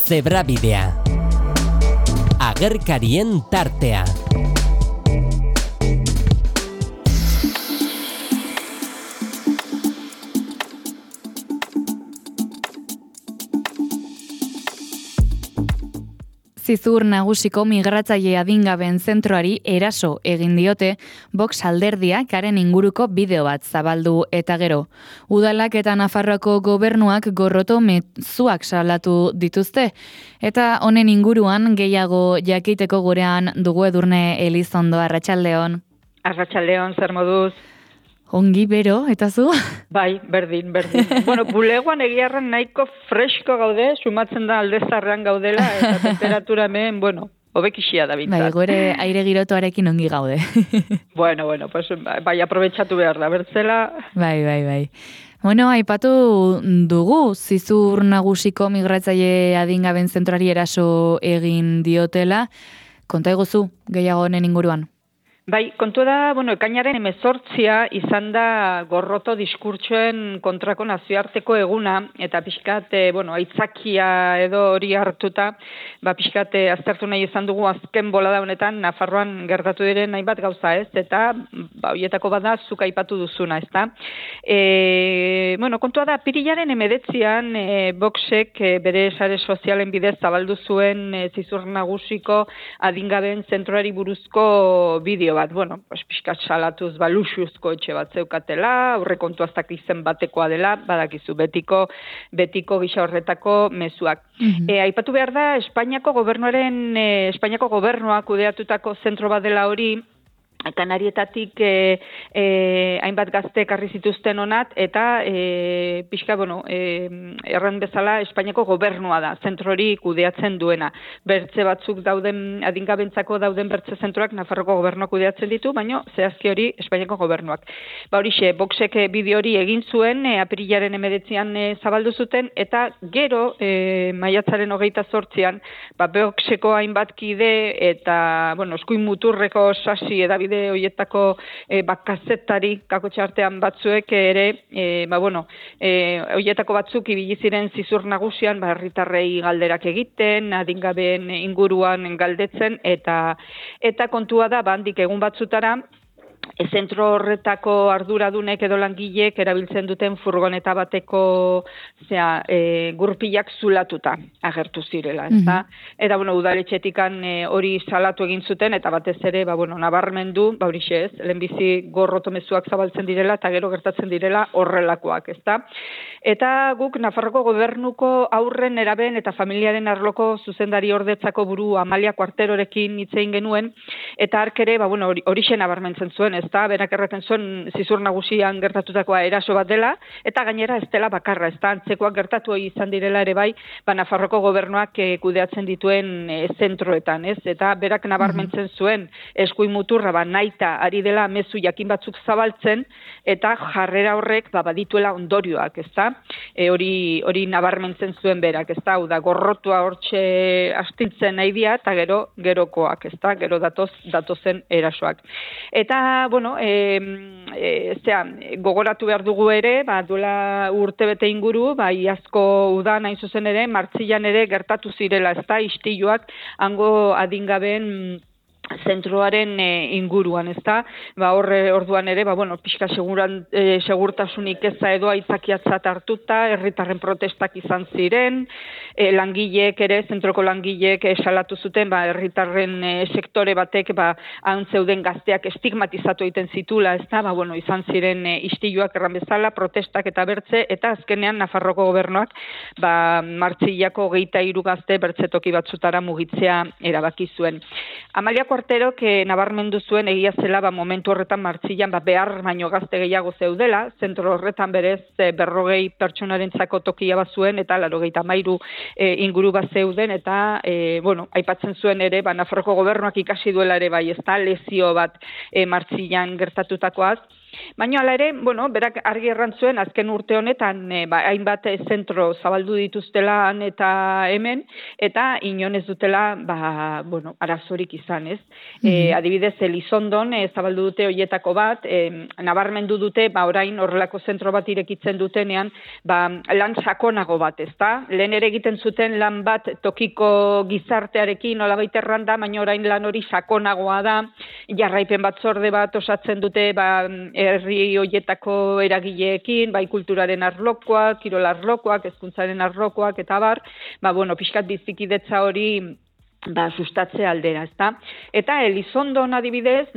Zebrabidea. Agerkarien tartea. Zizur nagusiko migratzaile adingaben zentroari eraso egin diote Vox alderdiak haren inguruko bideo bat zabaldu eta gero. Udalak eta Nafarroako gobernuak gorroto mezuak salatu dituzte. Eta honen inguruan gehiago jakiteko gurean dugu Edurne Elizondo. Arratsaldeon. Arratsaldeon, zer moduz? Ongi bero, eta zu? Bai, berdin. Bueno, bulegoan egiarren nahiko fresko gaude, sumatzen da aldezarrean gaudela, eta temperatura hemen, hobekixia da bintzat. Bai, gore aire girotuarekin ongi gaude. Bueno, pues, bai, aprobetxatu behar da, bertzela. Bai. Bueno, aipatu dugu, Zizur nagusiko migratzaile adingaben zentroari eraso egin diotela. Konta eguzu, gehiago honen inguruan. Bai, kontu da, ekainaren 18 izan da gorroto diskurtsoen kontrako nazioarteko eguna, eta pixkat, aitzakia edo hori hartuta, pixkat aztertu nahi izan dugu azken bolada honetan, Nafarroan gertatu diren hainbat gauza ez, eta horietako bada zuk aipatu duzuna, ez da. Kontua da, pirilaren 19an, Voxek bere sare sozialen bidez zabaldu zuen Zizur nagusiko adingaben zentroari buruzko bideo bat, pixkat salatuz luxuzko etxe bat zeukatela, aurrekontu aztak izen batekoa dela, badakizu, betiko gisa horretako mezuak. Aipatu behar da, Espainiako gobernuak kudeatutako zentro bat dela hori, Kanarietatik hainbat gazte ekarri zituzten onat, eta pixka, erran bezala Espainiako gobernua da, zentro hori kudeatzen duena. Bertze batzuk dauden, adingabentzako dauden bertze zentroak Nafarroko gobernuak kudeatzen ditu, baina zehazki hori Espainiako gobernuak. Horixe, Voxek bideo hori egin zuen, apirilaren 19an zabaldu zuten, eta gero, maiatzaren 28an, Voxeko hainbat kide, eta, eskuin muturreko sasi edabide horietako kazetari kakotxartean batzuek ere, horietako batzuk ibili ziren Zizur nagusian, herritarrei galderak egiten, adingabeen inguruan galdetzen, eta kontua da, handik egun batzutara, zentro horretako arduradunek edo langilek erabiltzen duten furgoneta bateko gurpilak zulatuta agertu zirela, ezta? Eta udaletxetikan hori salatu egin zuten, eta batez ere, nabarmendu, horixe ez, lehenbizi gorroto mezuak zabaltzen direla, eta gero gertatzen direla horrelakoak, ezta? Eta guk Nafarroko gobernuko aurren, neraben eta familiaren arloko zuzendari ordetzako buru Amalia Kuarterorekin hitz egin genuen, eta hark ere, horixe nabarmentzen zuen, ezta, berak erraten zuen Zizur nagusian gertatutakoa eraso bat dela, eta gainera ez dela bakarra, ezta, antzekoak gertatu izan direla ere bai, Nafarroko gobernuak kudeatzen dituen zentroetan, ez, eta berak nabarmentzen zuen eskuin muturra, nahita ari dela mezu jakin batzuk zabaltzen, eta jarrera horrek badituela ondorioak, ezta, hori nabarmentzen zuen berak, ezta, hau da, gorrotua hortxe astintzen nahi dia, eta gerokoak, ezta, gero datozen erasoak. Eta, gogoratu behar dugu ere, duela urtebete inguru, iazko udan hain zuzen ere, Martzilan ere gertatu zirela, ezta, istiluak hango adingaben zentroaren inguruan, ezta? Orduan ere, pixka segurtasunik eza edo aitzakiatzat hartuta, herritarren protestak izan ziren, langileek ere, zentroko langileek salatu zuten, herritarren sektore batek, haun zeuden gazteak estigmatizatu egiten zitula, ezta? Izan ziren istiluak erran bezala, protestak eta bertze, eta azkenean Nafarroko gobernuak, Martzilako 23 gazte bertzetoki batzutara mugitzea erabaki zuen. Amalia Kuarterok nabarmendu zuen egia zela momentu horretan Martzilan behar baino gazte gehiago zeudela, zentro horretan berez 40 pertsonarentzako tokia bat zuen eta 93 inguru bat zeuden eta aipatzen zuen ere Nafarroko gobernuak ikasi duela ere bai, ezta lezio bat Martzilan gertatutakoaz. Baina hala ere, berak argi errantzuen azken urte honetan hainbat zentro zabaldu dituztela eta hemen, eta inon ez dutela, arazorik izan, ez? Adibidez, Elizondon zabaldu dute hoietako bat, nabarmendu dute, orain horrelako zentro bat irekitzen dutenean, lan sakonago bat, ezta? Lehen ere egiten zuten lan bat tokiko gizartearekin nolabait erranda, baina orain lan hori sakonagoa da, jarraipen batzorde bat osatzen dute, herri hoietako eragileekin, bai kulturaren arlokoak, kirol arlokoak, hezkuntzaren arlokoak, eta pixkat bizikidetza hori sustatze aldera, ezta? Eta Elizondon adibidez,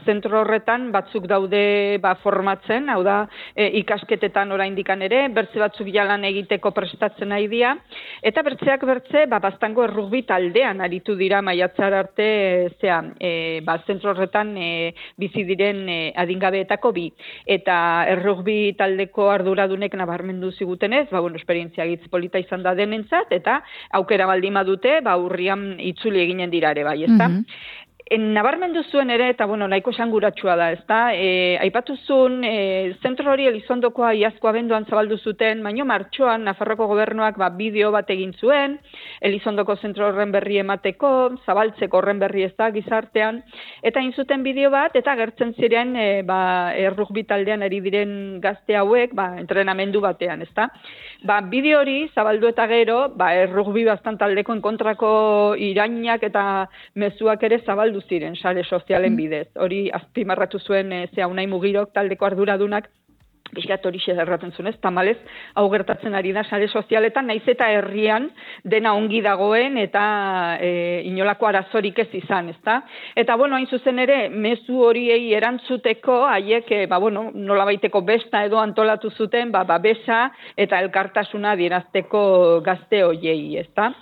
zentro horretan batzuk daude formatzen, hau da, ikasketetan oraindikan ere, bertze batzuk jalan egiteko prestatzen nahi dira, eta bertzeak bertze, baztango errugbi taldean aritu dira maiatzar arte, zentro horretan bizi diren adingabeetako bi. Eta errugbi taldeko arduradunek nabarmendu zigutenez, esperientzia gitz polita izan da denentzat, eta aukera baldin badute, urrian itzuli eginen dira ere bai, ezta? Nabarmendu zuen ere, eta nahiko esanguratsua da, ezta? Aipatu zuen, zentro hori Elizondokoa iazko abenduan zabaldu zuten, baino martxoan Nafarroko gobernuak bideo bat egin zuen, Elizondoko zentro horren berri emateko, zabaltzeko horren berri ez da gizartean, eta egin zuten bideo bat, eta agertzen ziren errugbi taldean ari diren gazte hauek, entrenamendu batean, ezta? Bideo hori zabaldu eta gero, errugbi bastan taldekoen kontrako irainak eta mezuak ere zabaldu ziren sare sozialen bidez. Hori azpimarratu zuen Unai Mugirok taldeko arduradunak, pixkat hori erraten zuen, tamalez, hau gertatzen ari da sare sozialetan, naiz eta herrian dena ongi dagoen eta inolako arazorik ez izan, ezta? Eta, hain zuzen ere, mezu horiei erantzuteko, haiek, nolabaiteko besta edo antolatu zuten, besa eta elkartasuna adierazteko gazte horiei, ezta?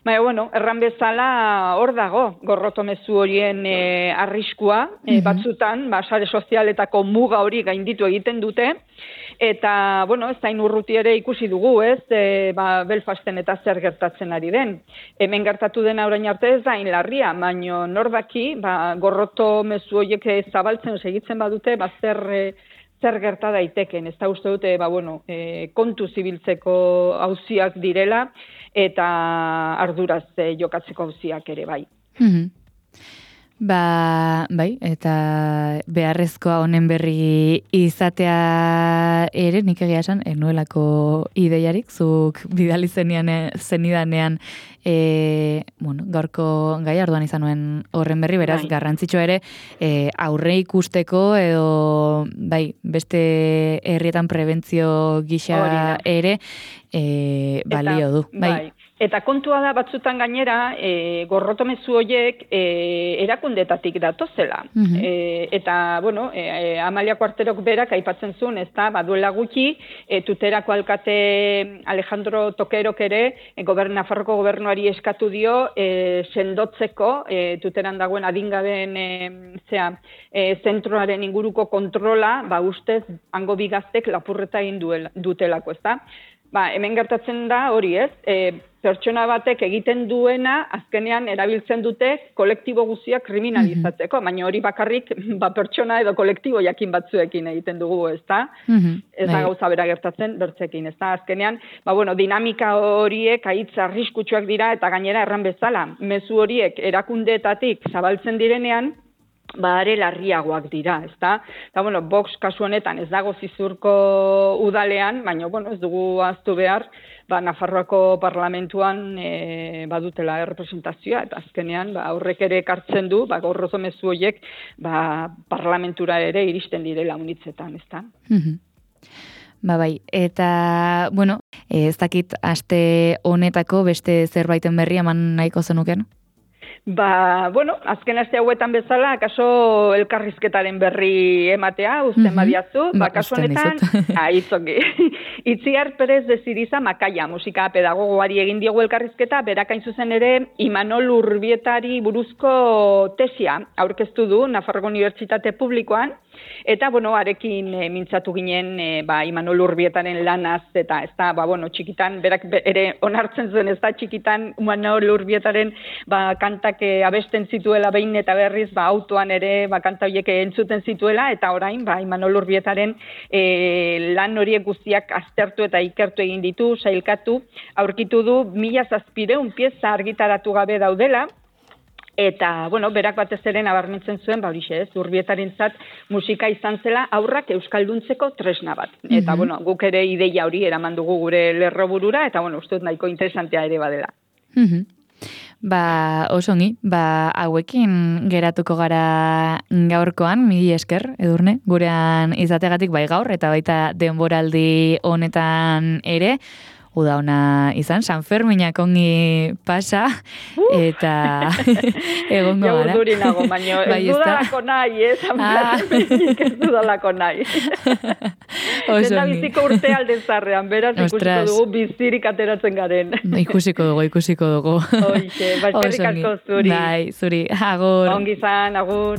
Erran bezala hor dago, gorroto mezu horien arriskua, batzutan, sare sozialetako muga hori gainditu egiten dute, eta, ez zain urruti ere ikusi dugu, ez, Belfasten eta zer gertatzen ari den. Hemen gertatu dena orain arte ez da larria, baino norbaki, gorroto mezu horiek zabaltzen segitzen badute, zer gerta daiteken. Ez da uste dute, kontu zibiltzeko auziak direla, eta arduraz jokatzeko auziak ere bai. Bai, eta beharrezkoa honen berri izatea ere, nik egia esan, nuelako ideiarik, zuk bidali zenidanean, gaurko gai arduan izan nuen horren berri, beraz, garrantzitsua ere, aurre ikusteko edo, beste herrietan prebentzio gisa ere, balio du. Bai. Eta kontua da batzutan gainera, gorrotomezu horiek erakundetatik datozela. Eta, Amalia Kuarterok berak aipatzen zuen, ez da, duela gutxi, Tuterako alkate Alejandro Tokerok ere, Nafarroko gobernuari eskatu dio, sendotzeko, Tuteran dagoen adingabeen zentroaren inguruko kontrola, ustez, hango bigaztek lapurreta egin dutelako, ez da? Hemen gertatzen da hori, ez? Pertsona batek egiten duena, azkenean erabiltzen dute kolektibo guztiak kriminalizatzeko, baina hori bakarrik pertsona edo kolektibo jakin batzuekin egiten dugu, ez da? Ez da gauza bera gertatzen bertzekin, ez da? Azkenean, dinamika horiek haitz arriskutsuak dira eta gainera erran bezala. Mezu horiek erakundeetatik zabaltzen direnean, are larriagoak dira, ezta? Eta, Vox kasu honetan ez dago Zizurko udalean, baina, ez dugu ahaztu behar, Nafarroako parlamentuan badutela errepresentazioa, eta azkenean aurrek ere ekartzen du, gorroto mezu horiek parlamentura ere iristen direla unitzetan, ezta? Bai, eta, ez dakit aste honetako beste zerbaiten berri eman nahiko zenuken? Azken aste hauetan bezala, kaso elkarrizketaren berri ematea, uzten badiazu, kaso honetan, itzongi. Itziar Perez de Ziriza Makaia, musika pedagogoari egin diogu elkarrizketa, berakain zuzen ere, Imanol Urbietari buruzko tesia aurkeztu du Nafarroko Unibertsitate Publikoan, Eta, arekin mintzatu ginen, Imanol Urbietaren lanaz, eta ez da, txikitan, berak ere onartzen zuen, ez da, txikitan Imanol Urbietaren kantak abesten zituela behin eta berriz, autoan ere, kanta horiek entzuten zituela, eta orain, Imanol Urbietaren lan horiek guztiak aztertu eta ikertu egin ditu, sailkatu, aurkitu du 1700 pieza argitaratu gabe daudela, eta, berak batez ere nabarmentzen zuen, Urbietarentzat musika izan zela aurrak euskalduntzeko tresna bat. Eta, guk ere ideia hori eraman dugu gure lerroburura, eta, uste dut nahiko interesantea ere badela. Osongi, hauekin geratuko gara gaurkoan, mili esker, Edurne, gurean izategatik gaur, eta baita denboraldi honetan ere, uda ona izan, San Ferminak ongi pasa, eta egongo gara. Jau duri nago, baino, ez dudalako nahi, San Ferminik ez dudalako nahi. Zena biziko urte alde zarrean, beraz ikusiko dugu bizirik ateratzen garen. Ikusiko dugu. Oixe, eskerrik asko zuri. Zuri, agur. Ongi zan, agur.